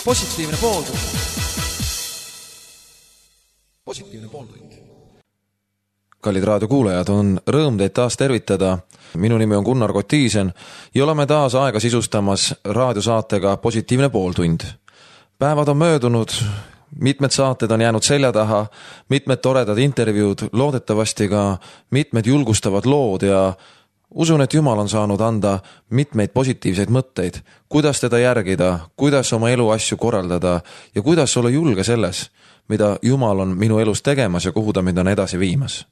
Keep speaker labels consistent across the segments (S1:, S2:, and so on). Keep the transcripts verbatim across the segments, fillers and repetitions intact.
S1: positiivne pooltund. Positiivne pooltund. Kallid raadiokuulajad, on rõõm teid taas tervitada. Minu nimi on Gunnar Kotiisen ja oleme taas aega sisustamas raadiosaatega Positiivne pooltund. Päevad on möödunud, mitmed saated on jäänud selja taha, mitmed toredad intervjuud, loodetavasti ka mitmed julgustavad lood ja usun, et Jumal on saanud anda mitmeid positiivseid mõtteid, kuidas teda järgida, kuidas oma elu asju korraldada ja kuidas olla julge selles, mida Jumal on minu elus tegemas ja kuhu ta mind on edasi viimas.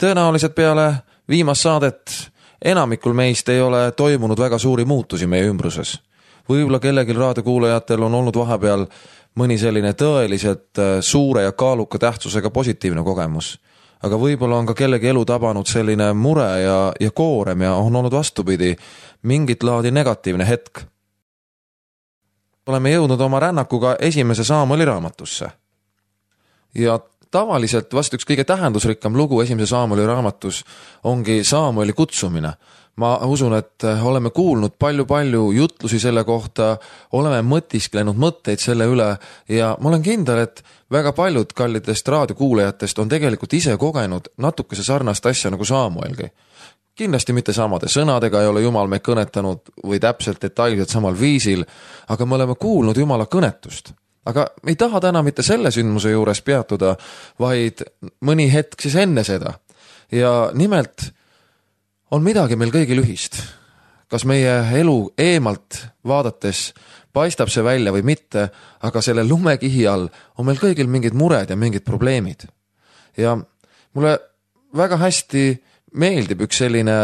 S1: Tõenäoliselt peale viimast saadet enamikul meist ei ole toimunud väga suuri muutusi meie ümbruses. Võib-olla kellegil raadiokuulajatel on olnud vahepeal mõni selline tõeliselt suure ja kaaluka tähtsusega positiivne kogemus. Aga võib-olla on ka kellegi elu tabanud selline mure ja, ja koorem ja on olnud vastupidi mingit laadi negatiivne hetk. Oleme jõudnud oma rännakuga esimese Saamueli raamatusse. Ja tavaliselt vast üks kõige tähendusrikkam lugu esimese Saamueli raamatus ongi Saamueli kutsumine. Ma usun, et oleme kuulnud palju-palju jutlusi selle kohta, oleme mõtisklenud mõtteid selle üle ja ma olen kindel, et väga paljud kallidest raadiokuulajatest on tegelikult ise kogenud natukese sarnast asja nagu Saamuelgi. Kindlasti mitte samade sõnadega ei ole Jumal meid kõnetanud või täpselt detailselt samal viisil, aga me oleme kuulnud Jumala kõnetust. Aga me ei taha täna mitte selle sündmuse juures peatuda, vaid mõni hetk siis enne seda. Ja nimelt on midagi meil kõigil ühist. Kas meie elu eemalt vaadates paistab see välja või mitte, aga selle lumekihi all on meil kõigil mingid mured ja mingid probleemid. Ja mulle väga hästi meeldib üks selline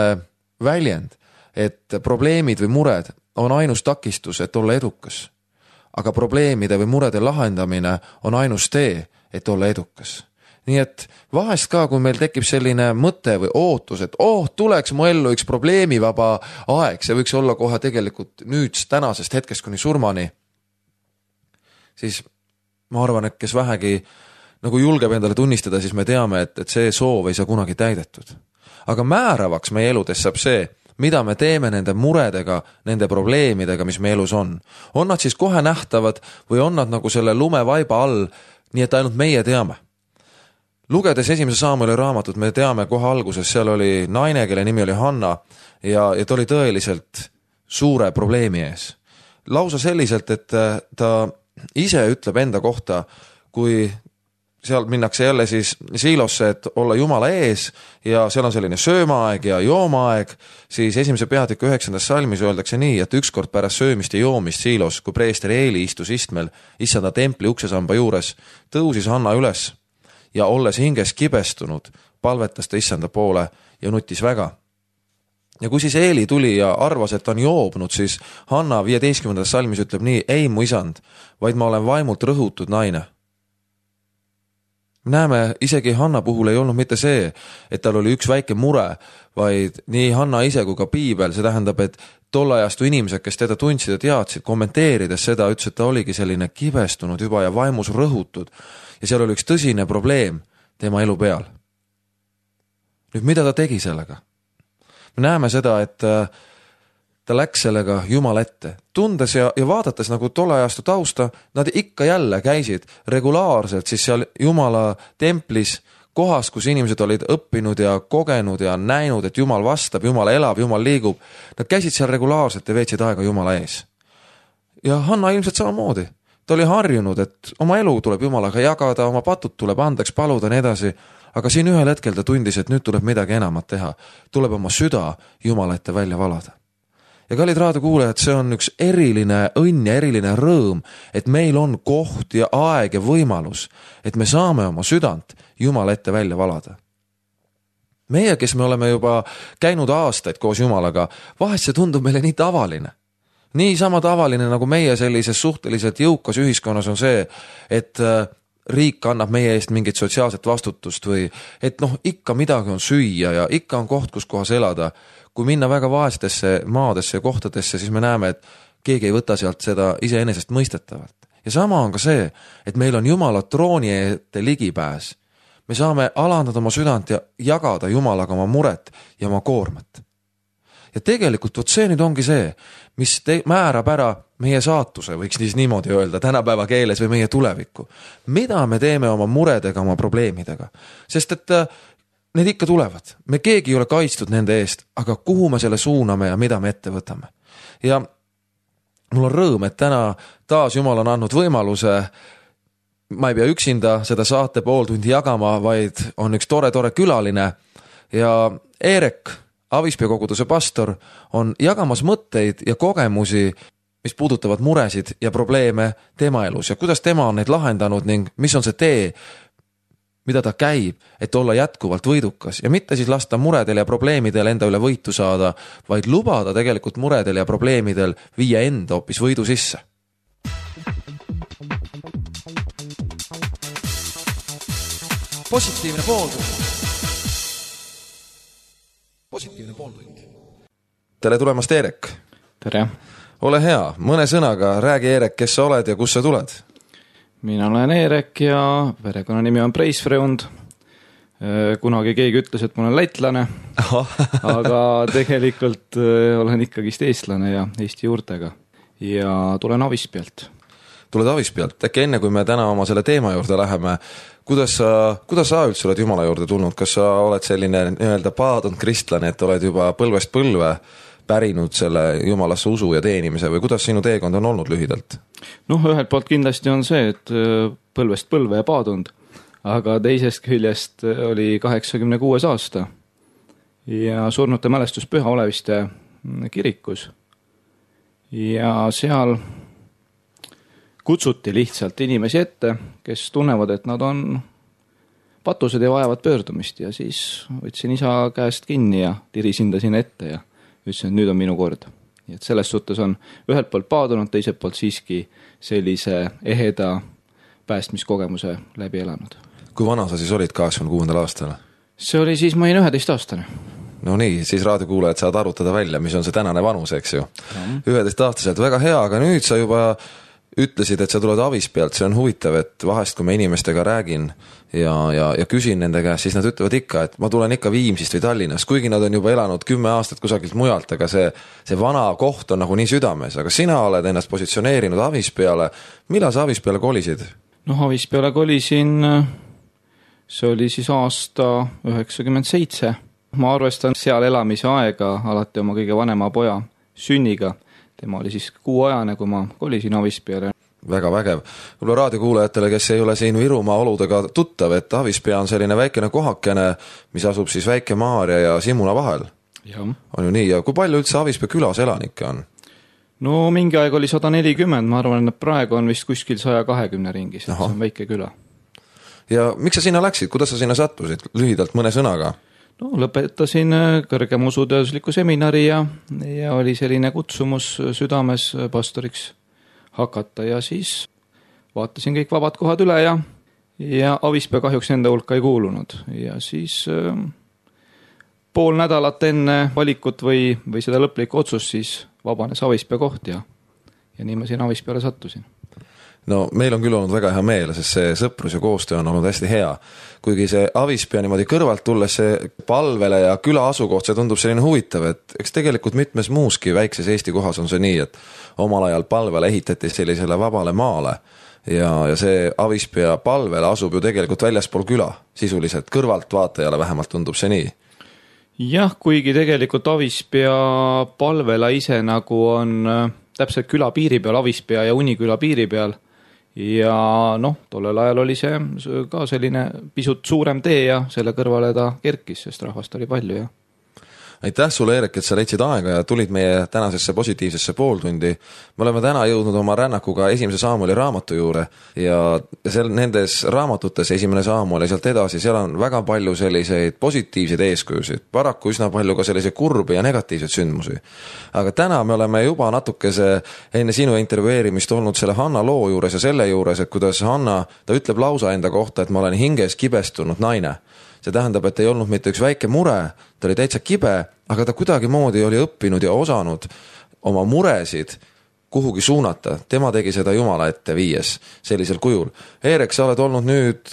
S1: väljend, et probleemid või mured on ainus takistus, et olla edukas. Aga probleemide või murede lahendamine on ainus tee, et olla edukas. Nii et vahest ka, kui meil tekib selline mõte või ootus, et oh, tuleks mu ellu üks probleemivaba aeg, see võiks olla kohe tegelikult nüüd tänasest hetkest kuni surmani, siis ma arvan, et kes vähegi nagu julgeb endale tunnistada, siis me teame, et, et see soov ei saa kunagi täidetud. Aga määravaks meie eludes saab see, mida me teeme nende muredega, nende probleemidega, mis meie elus on. On nad siis kohe nähtavad või on nad nagu selle lumevaiba all, nii et ainult meie teame. Lugedes esimese Saamueli raamatut, me teame kohe alguses, seal oli naine, kelle nimi oli Hanna ja, ja ta oli tõeliselt suure probleemi ees. Lausa selliselt, et ta ise ütleb enda kohta, kui seal minnakse jälle siis siilosse, et olla Jumala ees ja seal on selline söömaaeg ja joomaaeg, siis esimese peatüki üheksandas salmis öeldakse nii, et ükskord pärast söömist ja joomist siilos, kui preester Eeli istus istmel, issanda templi uksesamba juures, tõusis Hanna üles ja olles hinges kibestunud, palvetas ta issanda poole ja nutis väga. Ja kui siis Eeli tuli ja arvas, et ta on joobnud, siis Hanna viieteistkümnendas salmis ütleb nii, ei mu isand, vaid ma olen vaimult rõhutud naine. Näeme, isegi Hanna puhul ei olnud mitte see, et tal oli üks väike mure, vaid nii Hanna ise kui ka piibel, see tähendab, et tollajastu inimesed, kes teda tundsid ja teadsid, kommenteerides seda, ütles, et ta oligi selline kibestunud juba ja vaimus rõhutud ja seal oli üks tõsine probleem tema elu peal. Nüüd, mida ta tegi sellega? Me näeme seda, et ta läks sellega Jumala ette. Tundes ja, ja vaadates nagu tollajastu tausta, nad ikka jälle käisid regulaarselt siis seal Jumala templis, kohas, kus inimesed olid õppinud ja kogenud ja näinud, et Jumal vastab, Jumal elab, Jumal liigub. Nad käisid seal regulaarselt ja veetsid aega Jumala ees. Ja Hanna ilmselt samamoodi. Ta oli harjunud, et oma elu tuleb Jumalaga jagada, oma patud tuleb andeks paluda ja nii edasi, aga siin ühel hetkel ta tundis, et nüüd tuleb midagi enamat teha. Tuleb oma süda Jumala ette välja valada. Ja kallid raadiokuulajad, see on üks eriline õnn ja eriline rõõm, et meil on koht ja aeg ja võimalus, et me saame oma südant Jumala ette välja valada. Meie, kes me oleme juba käinud aastaid koos Jumalaga, vahest see tundub meile nii tavaline. Nii sama tavaline nagu meie sellises suhteliselt jõukas ühiskonnas on see, et riik annab meie eest mingit sotsiaalset vastutust või et noh, ikka midagi on süüa ja ikka on koht, kus kohas elada. Kui minna väga vaestesse maadesse ja kohtadesse, siis me näeme, et keegi ei võta sealt seda iseenesest mõistetavalt. Ja sama on ka see, et meil on Jumala trooni ette ligipääs. Me saame alandada oma südant ja jagada Jumalaga oma muret ja oma koormat. ja tegelikult vot see nüüd ongi see, mis te- määrab ära meie saatuse, võiks siis niimoodi öelda, tänapäeva keeles või meie tulevikku. Mida me teeme oma muredega, oma probleemidega? Sest et need ikka tulevad. Me keegi ei ole kaitstud nende eest, aga kuhu me selle suuname ja mida me ette võtame. Ja mul on rõõm, et täna taas Jumal on andnud võimaluse, ma ei pea üksinda seda saate pool tundi jagama, vaid on üks tore-tore külaline ja Eerek, Avispea koguduse pastor, on jagamas mõtteid ja kogemusi, mis puudutavad muresid ja probleeme tema elus ja kuidas tema on neid lahendanud ning mis on see tee, mida ta käib, et olla jätkuvalt võidukas ja mitte siis lasta muredel ja probleemidel enda üle võitu saada, vaid lubada tegelikult muredel ja probleemidel viia enda hoopis võidu sisse. Positiivne pooltund. Positiivne pooltund. Tere tulemast, Eerek.
S2: Tere.
S1: Ole hea, mõne sõnaga räägi, Eerek, kes sa oled ja kus sa tuled?
S2: Mina olen Eerek ja perekonna nimi on Preisfreund. Kunagi keegi ütles, et ma olen lätlane, aga tegelikult olen ikkagist eestlane ja Eesti juurtega ja tulen Avispealt.
S1: Tuled Avispealt. Äkki enne, kui me täna oma selle teema juurde läheme, kuidas sa, kuidas sa üldse oled Jumala juurde tulnud? Kas sa oled selline nii-öelda paadunud kristlane, et oled juba põlvest põlve pärinud selle Jumalasse usu ja teenimise või kuidas sinu teekond on olnud lühidalt?
S2: Noh, ühelt poolt kindlasti on see, et põlvest põlve ja paadunud, aga teisest küljest oli kaheksakümne kuues aasta ja surnute mälestus Püha Oleviste kirikus ja seal kutsuti lihtsalt inimesi ette, kes tunnevad, et nad on patused ja vajavad pöördumist ja siis võtsin isa käest kinni ja tirisin ta sinna ette ja ütlesin, et nüüd on minu kord. Nii et selles suhtes on ühelt poolt paadunud, teiselt poolt siiski sellise eheda päästmiskogemuse läbi elanud.
S1: Kui vana sa siis olid kaheksakümne kuuendal aastal?
S2: See oli siis, ma olin üheteist aastane.
S1: No nii, siis raadiokuulajad saad arutada välja, mis on see tänane vanus, eks ju. üheteist aastaselt, väga hea, aga nüüd sa juba ütlesid, et sa tuled Avispealt, see on huvitav, et vahest kui ma inimestega räägin ja, ja, ja küsin nende käest, siis nad ütlevad ikka, et ma tulen ikka Viimsist või Tallinnast, kuigi nad on juba elanud kümme aastat kusagilt mujalt, aga see, see vana koht on nagu nii südames, aga sina oled ennast positsioneerinud Avispeale. Millal sa Avispeale kolisid?
S2: No Avispeale kolisin, see oli siis aasta üheksakümmend seitse. Ma arvestan seal elamise aega alati oma kõige vanema poja sünniga. Tema oli siis kuuajane, kui ma kolisin Avispeale.
S1: Väga vägev. Võib-olla raadiokuulajatele, kes ei ole siin Virumaa oludega tuttav, et Avispea on selline väikene kohakene, mis asub siis Väike-Maarja ja Simuna vahel.
S2: Ja.
S1: On ju nii, ja kui palju üldse Avispea külas elanikke on?
S2: No mingi aeg oli sada nelikümmend, ma arvan, et praegu on vist kuskil saja kahekümne ringis, see on väike küla.
S1: Ja miks sa sinna läksid? Kuidas sa sinna sattusid? Lühidalt mõne sõnaga.
S2: No, lõpetasin kõrgema usutöösliku seminari ja, ja oli selline kutsumus südames pastoriks hakata ja siis vaatasin kõik vabad kohad üle ja, ja Avispea kahjuks enda hulka ei kuulunud. Ja siis äh, pool nädalat enne valikut või, või seda lõplikku otsust siis vabanes Avispea koht ja, ja nii ma siin Avispeale sattusin.
S1: No meil on küll olnud väga hea meel, sest see sõprus ja koostöö on olnud hästi hea. Kuigi see Avispea niimoodi kõrvalt tulles see palvele ja küla asukoht, see tundub selline huvitav, et eks tegelikult mitmes muuski väikses Eesti kohas on see nii, et omal ajal palvele ehitati sellisele vabale maale ja, ja see Avispea palvele asub ju tegelikult väljaspool küla, sisuliselt kõrvalt vaatajale vähemalt tundub see nii.
S2: Jah, kuigi tegelikult Avispea palvela ise nagu on täpselt küla piiri peal, Avispea ja Uniküla piiri peal. Ja noh, tollel ajal oli see ka selline pisut suurem tee ja selle kõrvale ta kerkis, sest rahvast oli palju. Ja.
S1: Aitäh sulle, Eerek, et sa leidsid aega ja tulid meie tänasesse positiivsesse pooltundi. Me oleme täna jõudnud oma rännakuga esimese Saamueli raamatu juurde ja seal nendes raamatutes, esimene Saamuel ja sealt edasi, seal on väga palju selliseid positiivseid eeskujusid, paraku üsna palju ka selliseid kurbi ja negatiivseid sündmusi. Aga täna me oleme juba natukese enne sinu intervjueerimist olnud selle Hanna loo juures ja selle juures, et kuidas Hanna, ta ütleb lausa enda kohta, et ma olen hinges kibestunud naine. See tähendab, et ei olnud mitte üks väike mure, ta oli täitsa kibe, aga ta kuidagi moodi oli õppinud ja osanud oma muresid kuhugi suunata. Tema tegi seda Jumala ette viies sellisel kujul. Eerek, sa oled olnud nüüd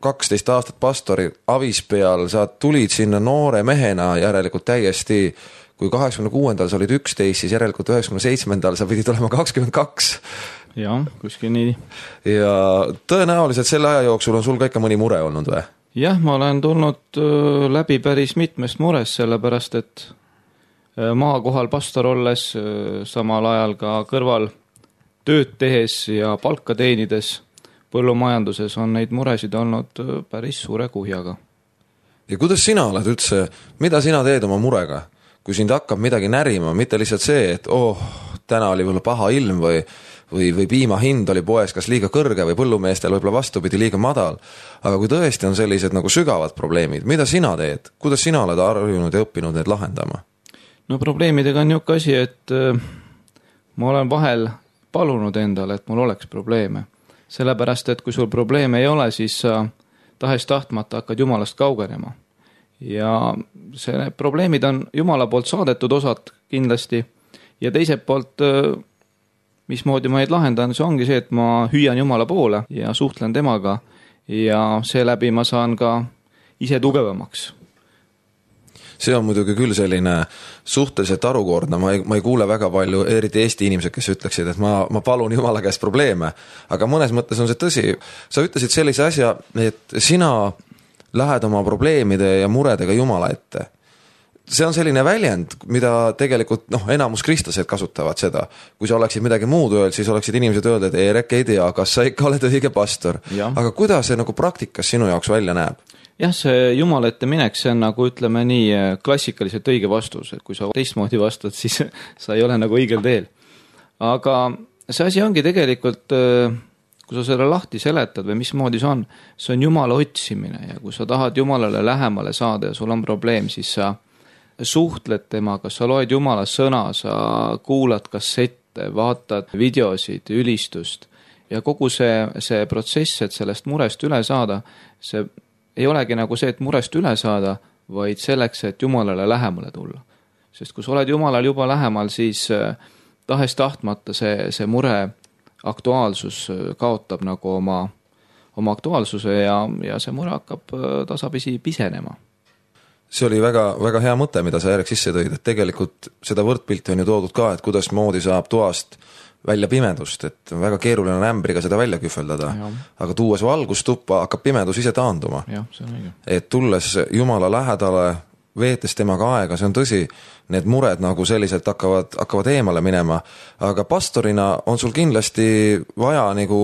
S1: kaksteist aastat pastori Avispeal, sa tulid sinna noore mehena järelikult täiesti kui kaheksakümne kuuendal sa olid üksteist, siis järelikult üheksakümne seitsmendal sa pidid olema kakskümmend kaks.
S2: Jah, kuskil nii.
S1: Ja tõenäoliselt selle aja jooksul on sul ka ikka mõni mure olnud või?
S2: Jah, ma olen tulnud läbi päris mitmest murest, sellepärast et maakohal pastor olles, samal ajal ka kõrval tööd tehes ja palka teenides põllumajanduses on neid muresid olnud päris suure kuhjaga.
S1: Ja kuidas sina oled üldse, mida sina teed oma murega? Kui sind hakkab midagi närima, mitte lihtsalt see, et oh, täna oli võib-olla paha ilm või, või, või piima hind oli poes kas liiga kõrge või põllumeestel võib-olla vastupidi liiga madal. Aga kui tõesti on sellised nagu sügavad probleemid, mida sina teed? Kuidas sina oled harjunud ja õppinud need lahendama?
S2: No probleemidega on niuke asi, et ma olen vahel palunud endale, et mul oleks probleeme. Sellepärast, et kui sul probleeme ei ole, siis sa tahes tahtmata hakkad Jumalast kaugenema. Ja see probleemid on Jumala poolt saadetud osad kindlasti. Ja teiselt poolt, mismoodi ma neid lahendan, see ongi see, et ma hüüan Jumala poole ja suhtlen temaga ja seeläbi ma saan ka ise tugevamaks.
S1: See on muidugi küll selline suhteliselt arukordne, ma ei, ma ei kuule väga palju, eriti Eesti inimesed, kes ütleksid, et ma, ma palun Jumala käest probleeme, aga mõnes mõttes on see tõsi. Sa ütlesid sellise asja, et sina lähed oma probleemide ja muredega Jumala ette. See on selline väljend, mida tegelikult noh, enamus kristlased kasutavad seda. Kui sa oleksid midagi muud öeld, siis oleksid inimesed öeldud, et Eerek ei tea, kas sa ikka oled õige pastor. Ja. Aga kuidas see nagu praktikas sinu jaoks välja näeb?
S2: Jah, see Jumala ette minek, see on nagu ütleme nii klassikaliselt õige vastus, et kui sa teistmoodi vastad, siis sa ei ole nagu õigel teel. Aga see asi ongi tegelikult, kui sa selle lahti seletad või mismoodi see on, see on Jumala otsimine ja kui sa tahad Jumalale lähemale saada ja sul on probleem, siis sa suhtled temaga, sa loed Jumala sõna, sa kuulad kassette, vaatad videosid, ülistust ja kogu see, see protsess, et sellest murest üle saada, see ei olegi nagu see, et murest üle saada, vaid selleks, et Jumalale lähemale tulla. Sest kui sa oled Jumalal juba lähemal, siis tahes tahtmata see, see mure aktuaalsus kaotab nagu oma, oma aktuaalsuse ja, ja see mure hakkab tasapisi pisenema.
S1: See oli väga, väga hea mõte, mida sa Eerek sisse tõid, et tegelikult seda võrdpilti on ju toodud ka, et kuidas moodi saab toast välja pimedust, et väga keeruline on ämbriga seda välja kühveldada, ja. Aga tuues valgustuppa hakkab pimedus ise taanduma.
S2: Ja, see on õige.
S1: Et tulles Jumala lähedale, veetes temaga aega, see on tõsi, need mured nagu selliselt hakkavad, hakkavad eemale minema, aga pastorina on sul kindlasti vaja nagu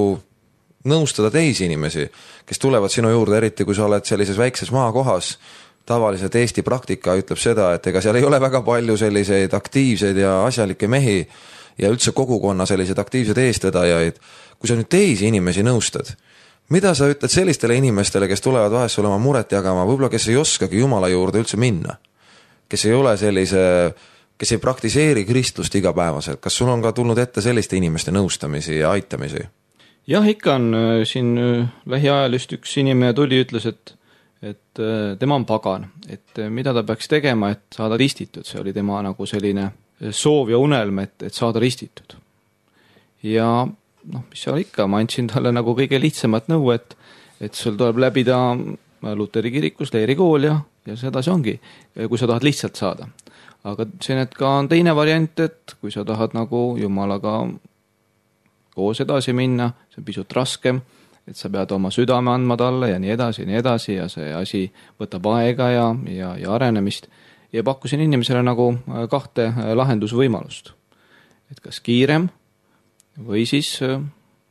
S1: nõustada teisi inimesi, kes tulevad sinu juurde, eriti kui sa oled sellises väikses maakohas. Tavaliselt Eesti praktika ütleb seda, et ega seal ei ole väga palju selliseid aktiivseid ja asjalikke mehi ja üldse kogukonna sellised aktiivsed eestvedajaid. Kui sa nüüd teisi inimesi nõustad, mida sa ütled sellistele inimestele, kes tulevad vahest sulle oma muret jagama, võib-olla kes ei oskagi Jumala juurde üldse minna, kes ei ole sellise, kes ei praktiseeri kristlust igapäevaselt, kas sul on ka tulnud ette selliste inimeste nõustamisi ja aitamisi?
S2: Jah, ikka on siin lähiajal just üks inimene tuli, ütles, et et tema on pagan, et mida ta peaks tegema, et saada ristitud, see oli tema nagu selline soov ja unelm, et, et saada ristitud. Ja noh, mis seal ikka, ma andsin talle nagu kõige lihtsamat nõu, et, et sul tuleb läbida Luteri kirikus leerikool ja, ja seda see ongi, kui sa tahad lihtsalt saada. Aga see need ka on teine variant, et kui sa tahad nagu Jumalaga koos edasi minna, see on pisut raskem, et sa pead oma südame andma talle ja nii edasi ja nii edasi ja see asi võtab aega ja, ja, ja arenemist. Ja pakkusin inimesele nagu kahte lahendusvõimalust. Et kas kiirem või siis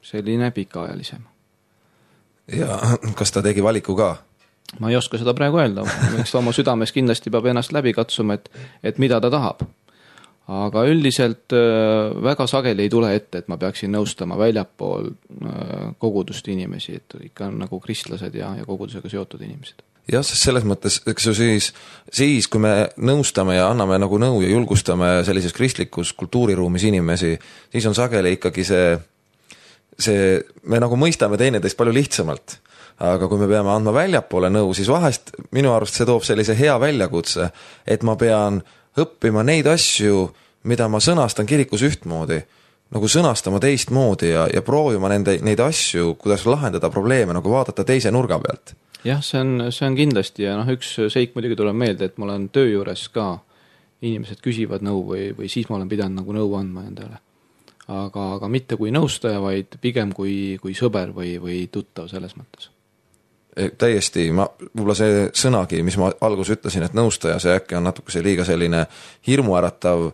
S2: selline pikaajalisem.
S1: Ja kas ta tegi valiku ka?
S2: Ma ei oska seda praegu öelda. Eks oma südames kindlasti peab ennast läbi katsuma, et, et mida ta tahab. Aga üldiselt väga sageli ei tule ette, et ma peaksin nõustama väljapool kogudust inimesi, et ikka on nagu kristlased ja, ja kogudusega seotud inimesed.
S1: Jah, sest selles mõttes, eks ju siis, siis, kui me nõustame ja anname nagu nõu ja julgustame sellises kristlikus kultuuriruumis inimesi, siis on sageli ikkagi see, see, me nagu mõistame teineteist palju lihtsamalt. Aga kui me peame andma väljapoole nõu, siis vahest minu arust see toob sellise hea väljakutse, et ma pean õppima neid asju, mida ma sõnastan kirikus ühtmoodi, nagu sõnastama teistmoodi ja, ja proovima nende, neid asju, kuidas lahendada probleeme, nagu vaadata teise nurga pealt.
S2: Jah, see on, see on kindlasti ja noh, üks seik muidugi tuleb meelde, et ma olen töö juures ka inimesed küsivad nõu või, või siis ma olen pidanud nagu nõu andma endale. Aga, aga mitte kui nõustaja, vaid pigem kui, kui sõber või, või tuttav selles mõttes.
S1: Täiesti, ma, võib-olla see sõnagi, mis ma algus ütlesin, et nõustaja, see äkki on natuke see liiga selline hirmuäratav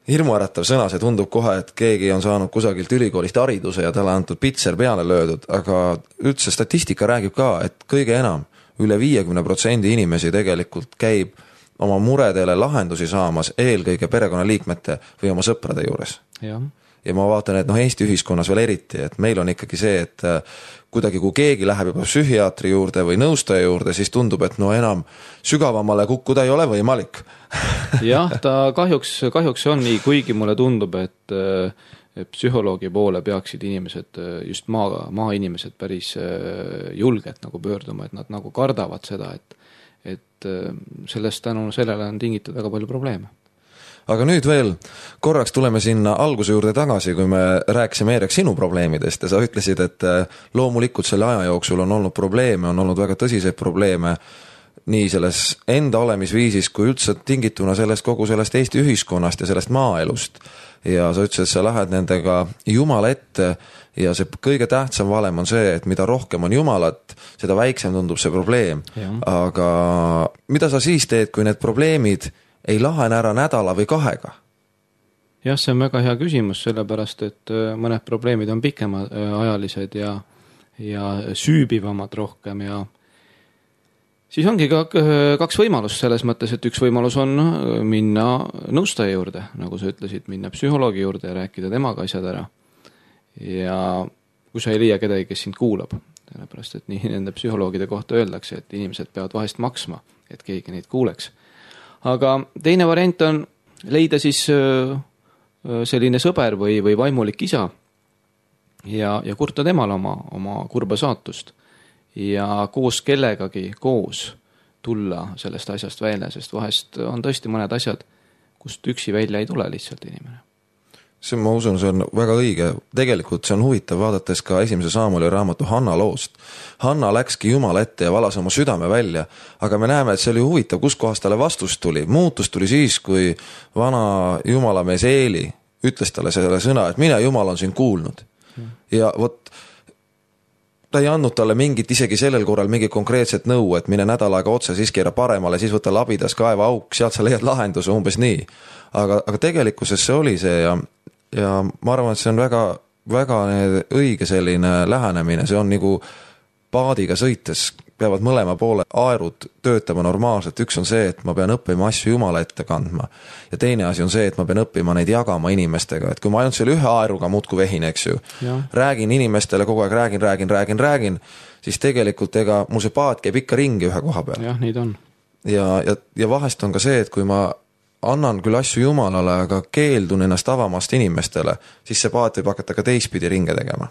S1: hirmuäratav sõna, see tundub kohe, et keegi on saanud kusagilt ülikoolist hariduse ja talle antud pitser peale löödud, aga üldse statistika räägib ka, et kõige enam üle viiekümne protsendi inimesi tegelikult käib oma muredele lahendusi saamas eelkõige perekonnaliikmete või oma sõprade juures.
S2: Ja.
S1: ja ma vaatan, et noh, Eesti ühiskonnas veel eriti, et meil on ikkagi see, et kuidagi kui keegi läheb juba psühhiaatri juurde või nõustaja juurde, siis tundub, et no enam sügavamale kukkuda ei ole võimalik.
S2: Jah, ta kahjuks, kahjuks on nii, kuigi mulle tundub, et psühholoogi poole peaksid inimesed, just maa, maa inimesed päris julgelt nagu pöörduma, et nad nagu kardavad seda, et, et sellest tänu sellele on tingitud väga palju probleeme.
S1: Aga nüüd veel korraks tuleme sinna alguse juurde tagasi, kui me rääkisime Eerek sinu probleemidest ja sa ütlesid, et loomulikult selle aja jooksul on olnud probleeme, on olnud väga tõsiseid probleeme nii selles enda olemisviisis kui üldse tingituna sellest kogu sellest Eesti ühiskonnast ja sellest maaelust. Ja sa ütlesid, et sa lähed nendega Jumala ette ja see kõige tähtsam valem on see, et mida rohkem on Jumalat, seda väiksem tundub see probleem. Ja. Aga mida sa siis teed, kui need probleemid ei lahene ära nädala või kahega?
S2: Jah, see on väga hea küsimus, sellepärast, et mõned probleemid on pikema ajalised ja, ja süübivamad rohkem ja siis ongi ka kaks võimalust selles mõttes, et üks võimalus on minna nõustaja juurde, nagu sa ütlesid, minna psühholoogi juurde ja rääkida temaga asjad ära. Ja kui sa ei leia kedagi, kes sind kuulab, sellepärast, et nii nende psühholoogide kohta öeldakse, et inimesed peavad vahest maksma, et keegi neid kuuleks. Aga teine variant on leida siis selline sõber või, või vaimulik isa ja, ja kurta temale oma, oma kurba saatust ja koos kellegagi koos tulla sellest asjast välja, sest vahest on tõesti mõned asjad, kust üksi välja ei tule lihtsalt inimene.
S1: See, ma usun, see on väga õige. Tegelikult see on huvitav vaadates ka esimese Saamueli raamatu Hanna loost. Hanna läkski Jumala ette ja valas oma südame välja, aga me näeme, et see oli huvitav, kus kohast talle vastus tuli. Muutus tuli siis, kui vana Jumala mees Eeli ütles talle selle sõna, et mine Jumal on sind kuulnud. Ja vot ta ei andnud talle mingit, isegi sellel korral mingi konkreetset nõu, et mine nädal aega otse, siis keera paremale, siis võta labidas kaeva auk, sealt sa leiad lahenduse umbes nii. Aga, aga tegelikkuses see oli see ja ja ma arvan, et see on väga, väga õige selline lähenemine, see on nagu paadiga sõites, peavad mõlema poole aerud töötama normaalselt, üks on see, et ma pean õppima asju Jumala ette kandma ja teine asi on see, et ma pean õppima neid jagama inimestega, et kui ma ainult selle ühe aeruga muudku vehin, eks ju, ja. räägin inimestele kogu aeg, räägin, räägin, räägin, räägin, siis tegelikult ega mul see paat käib ikka ringi ühe koha peal.
S2: Jah, neid on.
S1: Ja, ja, ja vahest on ka see, et kui ma annan küll asju Jumalale, aga keeldun ennast avamast inimestele, siis see paat võib hakata ka teistpidi ringe tegema.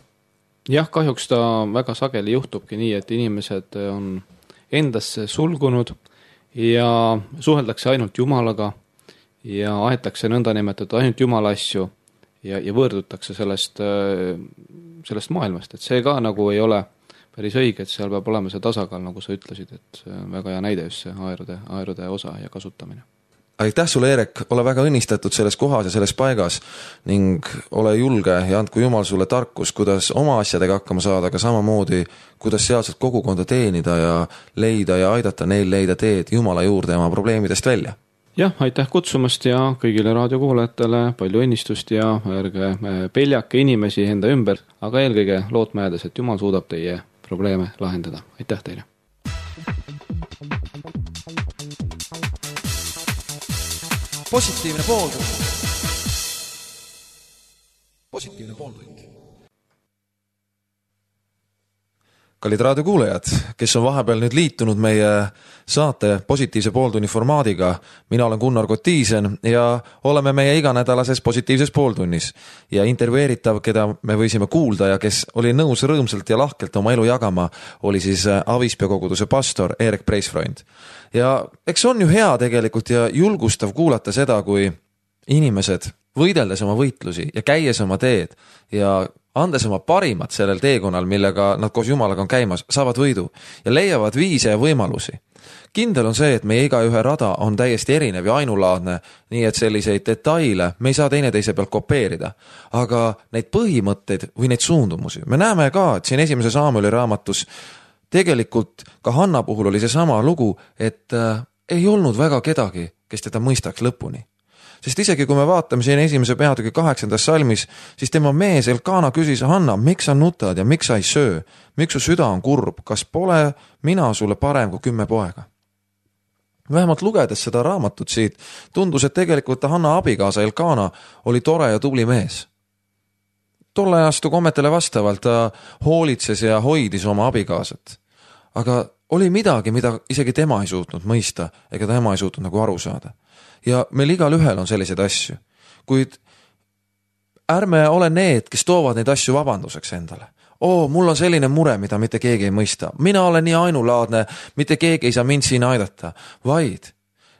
S2: Jah, kahjuks ta väga sageli juhtubki nii, et inimesed on endasse sulgunud ja suheldakse ainult Jumalaga ja aetakse nõnda nimetatud ainult Jumala asju ja, ja võõrdutakse sellest, sellest maailmast, et see ka nagu ei ole päris õige, et seal peab olema see tasakaal, nagu sa ütlesid, et see on väga hea näide just see aerude, aerude osa ja kasutamine.
S1: Aitäh sulle, Eerek, ole väga õnnistatud selles kohas ja selles paigas ning ole julge ja andku Jumal sulle tarkus, kuidas oma asjadega hakkama saada, aga samamoodi, kuidas sealselt kogukonda teenida ja leida ja aidata neil leida teed Jumala juurde ja oma probleemidest välja.
S2: Jah, aitäh kutsumast ja kõigile raadiokuulajatele palju õnnistust ja ärge peljake inimesi enda ümber, aga eelkõige lootma jäädes, et Jumal suudab teie probleeme lahendada. Aitäh teile!
S1: Positiivne pooltund. Positiivne pooltund. Kallid raadiokuulajad, kes on vahepeal nüüd liitunud meie saate positiivse pooltunni formaadiga, mina olen Gunnar Kotiisen ja oleme meie iganädalases positiivses pooltunnis. Ja intervjueeritav, keda me võisime kuulda ja kes oli nõus rõõmsalt ja lahkelt oma elu jagama, oli siis Avispea koguduse pastor Eerek Preisfreund. Ja eks on ju hea tegelikult ja julgustav kuulata seda, kui inimesed võideldes oma võitlusi ja käies oma teed ja andes oma parimat sellel teekonnal, millega nad koos Jumalaga on käimas, saavad võidu ja leiavad viise ja võimalusi. Kindel on see, et meie igaühe rada on täiesti erinev ja ainulaadne, nii et selliseid detaile me ei saa teineteise pealt kopeerida. Aga neid põhimõtteid või neid suundumusi. Me näeme ka, et siin esimese Saamueli raamatus tegelikult ka Hanna puhul oli see sama lugu, et äh, ei olnud väga kedagi, kes teda mõistaks lõpuni. Sest isegi kui me vaatame siin esimese peatüki kaheksandas salmis, siis tema mees Elkana küsis, Hanna, miks sa nutad ja miks sa ei söö? Miks su süda on kurb? Kas pole mina sulle parem kui kümme poega? Vähemalt lugedes seda raamatut siit, tundus, et tegelikult Hanna abikaasa Elkana oli tore ja tubli mees. Tolle astu kommetele vastavalt ta hoolitses ja hoidis oma abikaasat. Aga oli midagi, mida isegi tema ei suutnud mõista, ega tema ei suutnud nagu aru saada. Ja meil igal ühel on selliseid asju. Kuid ärme ole need, kes toovad neid asju vabanduseks endale. Oo, mul on selline mure, mida mitte keegi ei mõista. Mina olen nii ainulaadne, mitte keegi ei saa mind siin aidata. Vaid,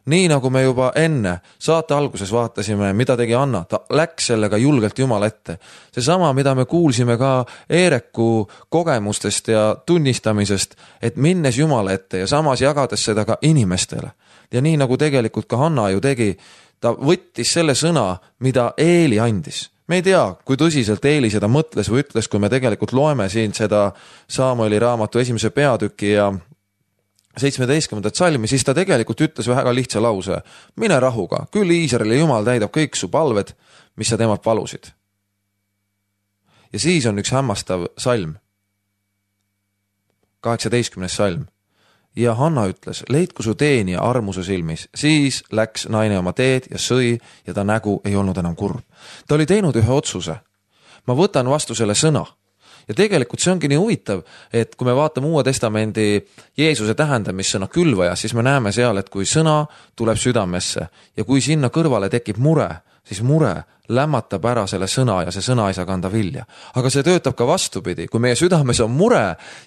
S1: nii nagu me juba enne saate alguses vaatasime, mida tegi Anna, ta läks sellega julgelt Jumala ette. See sama, mida me kuulsime ka Eereku kogemustest ja tunnistamisest, et minnes Jumala ette ja samas jagades seda ka inimestele. Ja nii nagu tegelikult ka Hanna ju tegi, ta võttis selle sõna, mida Eeli andis. Me ei tea, kui tõsiselt Eeli seda mõtles või ütles, kui me tegelikult loeme siin seda Saamueli raamatu esimese peatüki ja seitsmeteistkümnendat salmi, siis ta tegelikult ütles väga lihtsa lause. Mine rahuga, küll Iisraeli Jumal täidab kõik su palved, mis sa temalt palusid. Ja siis on üks hämmastav salm. kaheksateistkümnes salm. Ja Hanna ütles, leidku su teenija armuse silmis. Siis läks naine oma teed ja sõi ja ta nägu ei olnud enam kurb. Ta oli teinud ühe otsuse. Ma võtan vastu selle sõna. Ja tegelikult see ongi nii huvitav, et kui me vaatame Uue Testamendi Jeesuse tähendamissõna külvaja, siis me näeme seal, et kui sõna tuleb südamesse ja kui sinna kõrvale tekib mure, siis mure lämmatab ära selle sõna ja see sõna ei saa kanda vilja. Aga see töötab ka vastupidi, kui meie südames on mure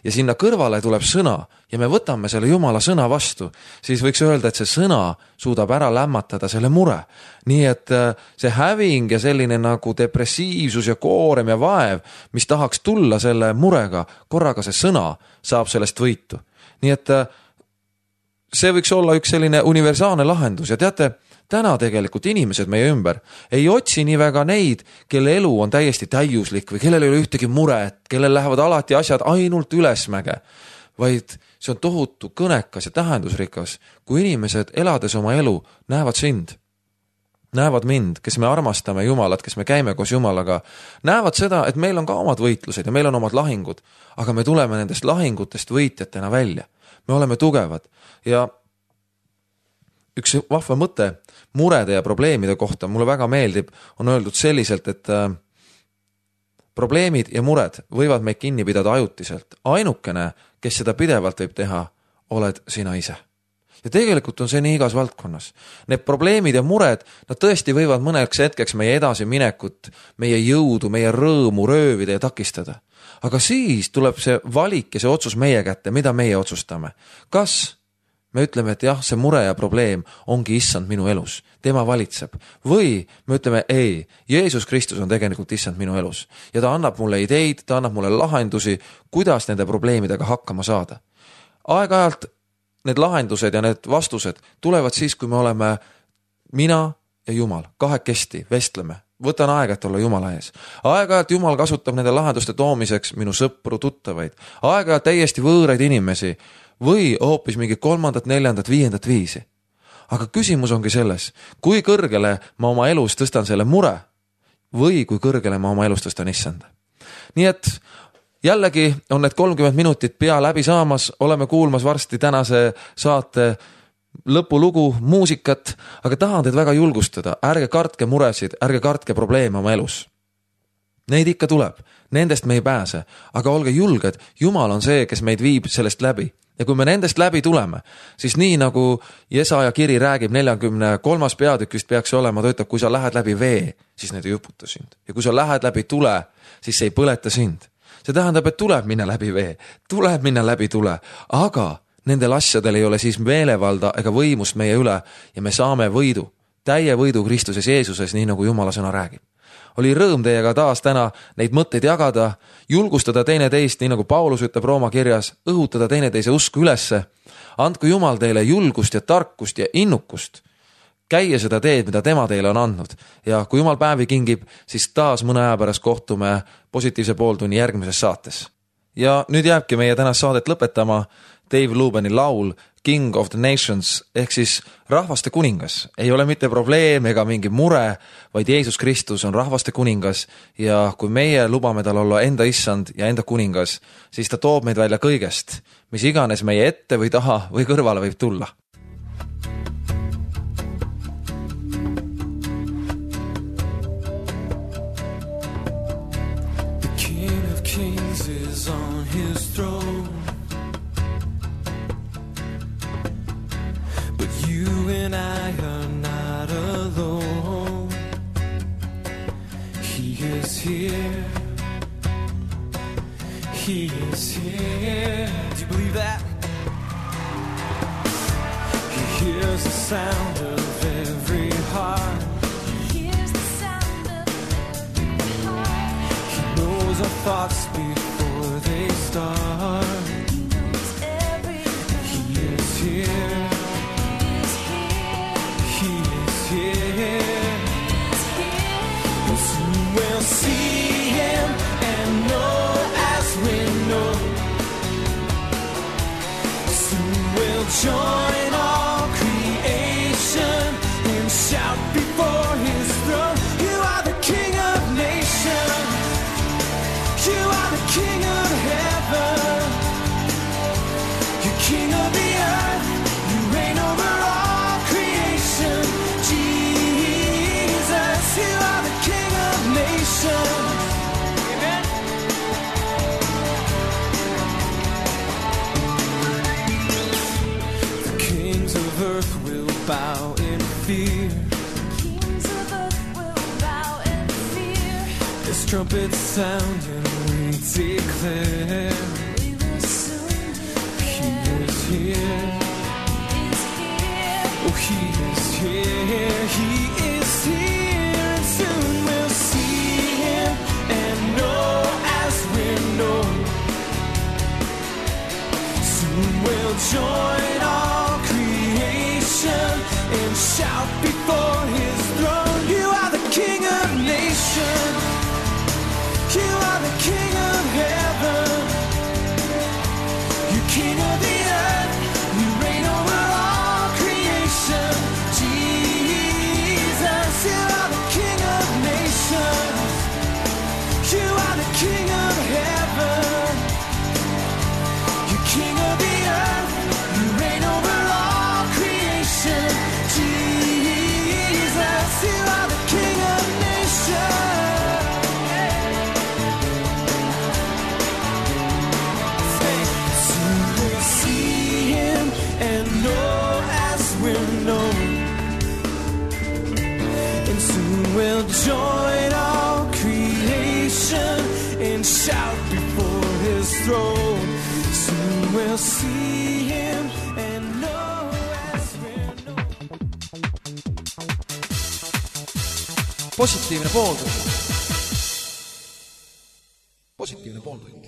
S1: ja sinna kõrvale tuleb sõna ja me võtame selle Jumala sõna vastu, siis võiks öelda, et see sõna suudab ära lämmatada selle mure. Nii et see häving ja selline nagu depressiivsus ja koorem ja vaev, mis tahaks tulla selle murega, korraga see sõna saab sellest võitu. Nii et see võiks olla üks selline universaalne lahendus ja teate, täna tegelikult inimesed meie ümber ei otsi nii väga neid, kelle elu on täiesti täiuslik või kellel ei ole ühtegi muret, kellel lähevad alati asjad ainult ülesmäge, vaid see on tohutu kõnekas ja tähendusrikas, kui inimesed elades oma elu näevad sind, näevad mind, kes me armastame Jumalat, kes me käime koos Jumalaga, näevad seda, et meil on ka omad võitlused ja meil on omad lahingud, aga me tuleme nendest lahingutest võitjatena välja. Me oleme tugevad ja üks vahva mõte murede ja probleemide kohta mulle väga meeldib, on öeldud selliselt, et äh, probleemid ja mured võivad meid kinni pidada ajutiselt. Ainukene, kes seda pidevalt võib teha, oled sina ise. Ja tegelikult on see nii igas valdkonnas. Need probleemid ja mured, nad tõesti võivad mõneks hetkeks meie edasi minekut, meie jõudu, meie rõõmu röövida ja takistada. Aga siis tuleb see valik ja see otsus meie kätte, mida meie otsustame. Kas me ütleme, et jah, see mure ja probleem ongi issand minu elus, tema valitseb. Või me ütleme, ei, Jeesus Kristus on tegelikult issand minu elus. Ja ta annab mulle ideid, ta annab mulle lahendusi, kuidas nende probleemidega hakkama saada. Aeg-ajalt need lahendused ja need vastused tulevad siis, kui me oleme mina ja Jumal, kahekesti, vestleme. Võtan aega, et olla Jumala ees. Aeg-ajalt Jumal kasutab nende lahenduste toomiseks minu sõpru, tuttavaid. Aeg-ajalt täiesti võõraid inimesi või hoopis mingi kolmandat, neljandat, viiendat viisi. Aga küsimus ongi selles, kui kõrgele ma oma elus tõstan selle mure või kui kõrgele ma oma elus tõstan issanda. Nii et jällegi on need kolmkümmend minutit pea läbi saamas, oleme kuulmas varsti tänase saate lõpulugu, muusikat, aga tahan teid väga julgustada, ärge kartke muresid, ärge kartke probleeme oma elus. Neid ikka tuleb, nendest me ei pääse, aga olge julged, Jumal on see, kes meid viib sellest läbi. Ja kui me nendest läbi tuleme, siis nii nagu Jesaja kiri räägib neljakümne kolmas peatükist peaks olema, ta ütleb, kui sa lähed läbi vee, siis need ei õputa sind. Ja kui sa lähed läbi tule, siis see ei põleta sind. See tähendab, et tuleb minna läbi vee, tuleb minna läbi tule, aga nendel asjadel ei ole siis meelevalda ega võimust meie üle ja me saame võidu, täie võidu Kristuses Jeesuses, nii nagu Jumala sõna räägib. oli rõõm teiega taas täna neid mõtteid jagada, julgustada teineteist, nii nagu Paulus ütleb Rooma kirjas, õhutada teineteise usku ülesse. Andku Jumal teile julgust ja tarkust ja innukust. Käia seda teed, mida tema teile on andnud. Ja kui Jumal päevi kingib, siis taas mõne aja pärast kohtume positiivse pooltunni järgmises saates. Ja nüüd jääbki meie tänast saadet lõpetama Dave Lubeni laul King of the Nations ehk siis rahvaste kuningas. Ei ole mitte probleem ega mingi mure, vaid Jeesus Kristus on rahvaste kuningas ja kui meie lubame tal olla enda issand ja enda kuningas, siis ta toob meid välja kõigest, mis iganes meie ette või taha või kõrvale võib tulla.
S3: The King of Kings is on his throne. You and I are not alone. He is here. He is here. Do you believe that? He hears the sound of every heart.
S4: He hears the sound of every heart.
S3: He knows our thoughts before they start.
S4: He knows everything.
S3: He is here. We'll see him and know as we know. Soon we'll join all creation and shout before his throne. You are the King of nations. You are the King of heaven. You're King of the earth. You reign over all creation. Jesus, you are the King of nations. Amen. The kings of earth will bow in fear.
S4: Kings of earth will bow in fear.
S3: As trumpets sound and we declare,
S4: We will soon
S3: he is here.
S4: He's here.
S3: Oh, he is here. He is here. And soon we'll see him and know as we know. Soon we'll join all creation and shout before his throne. You are the King of nations. You are the King of heaven. You King of the earth. You reign over all creation. Jesus, you are the King of nations. You are the King of heaven. You King of the earth. You reign over all creation. Jesus, you are the King of nations. Soon we'll see him and know as we're known. And soon we'll join all creation and shout before his throne. Soon we'll see him and know as we're known.
S1: Positiivne pooltund. Positiivne pooltund.